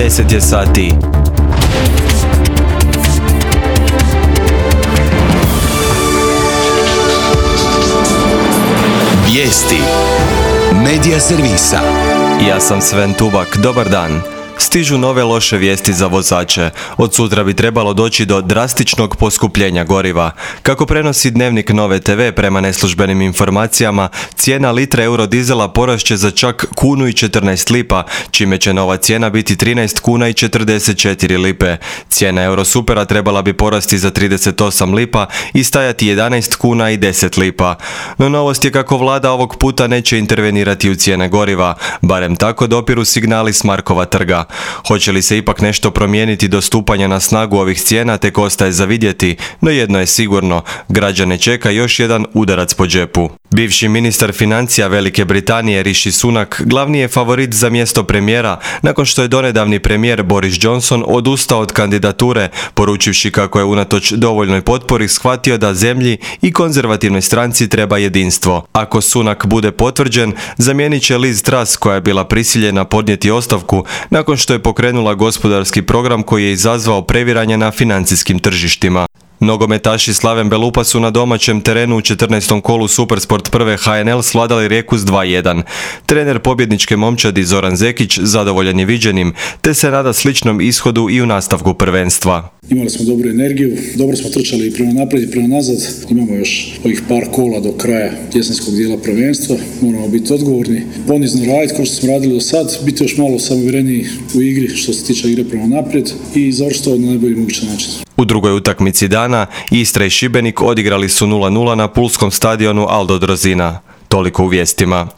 10 je sati. Vijesti Medija servisa. Ja sam Sven Tubak, dobar dan. Stižu nove loše vijesti za vozače. Od sutra bi trebalo doći do drastičnog poskupljenja goriva. Kako prenosi Dnevnik Nove TV, prema neslužbenim informacijama, cijena litre eurodizela porašće za čak 1,14 lipa, čime će nova cijena biti 13,44 lipe. Cijena Eurosupera trebala bi porasti za 38 lipa i stajati 11,10 lipa. No novost je kako vlada ovog puta neće intervenirati u cijene goriva, barem tako dopiru signali s Markova trga. Hoće li se ipak nešto promijeniti do stupanja na snagu ovih cijena, tek ostaje za vidjeti, no jedno je sigurno, građane čeka još jedan udarac po džepu. Bivši ministar financija Velike Britanije Rishi Sunak glavni je favorit za mjesto premijera, nakon što je donedavni premijer Boris Johnson odustao od kandidature, poručivši kako je unatoč dovoljnoj potpori shvatio da zemlji i konzervativnoj stranci treba jedinstvo. Ako Sunak bude potvrđen, zamijenit će Liz Truss, koja je bila prisiljena podnijeti ostavku nakon što je pokrenula gospodarski program koji je izazvao previranje na financijskim tržištima. Nogometaši Slaven Belupa su na domaćem terenu u 14. kolu Supersport prve HNL svladali Rijeku s 2:1. Trener pobjedničke momčadi Zoran Zekić zadovoljan je viđenim, te se nada sličnom ishodu i u nastavku prvenstva. Imali smo dobru energiju, dobro smo trčali i prema naprijed i prema nazad. Imamo još ovih par kola do kraja jesenskog dijela prvenstva. Moramo biti odgovorni, ponizno raditi kao što smo radili do sad, biti još malo samouvjereniji u igri što se tiče igre prema naprijed i završiti to na najbolji mogući način. U drugoj utakmici dana Istra i Šibenik odigrali su 0:0 na pulskom stadionu Aldo Drozina. Toliko u vijestima.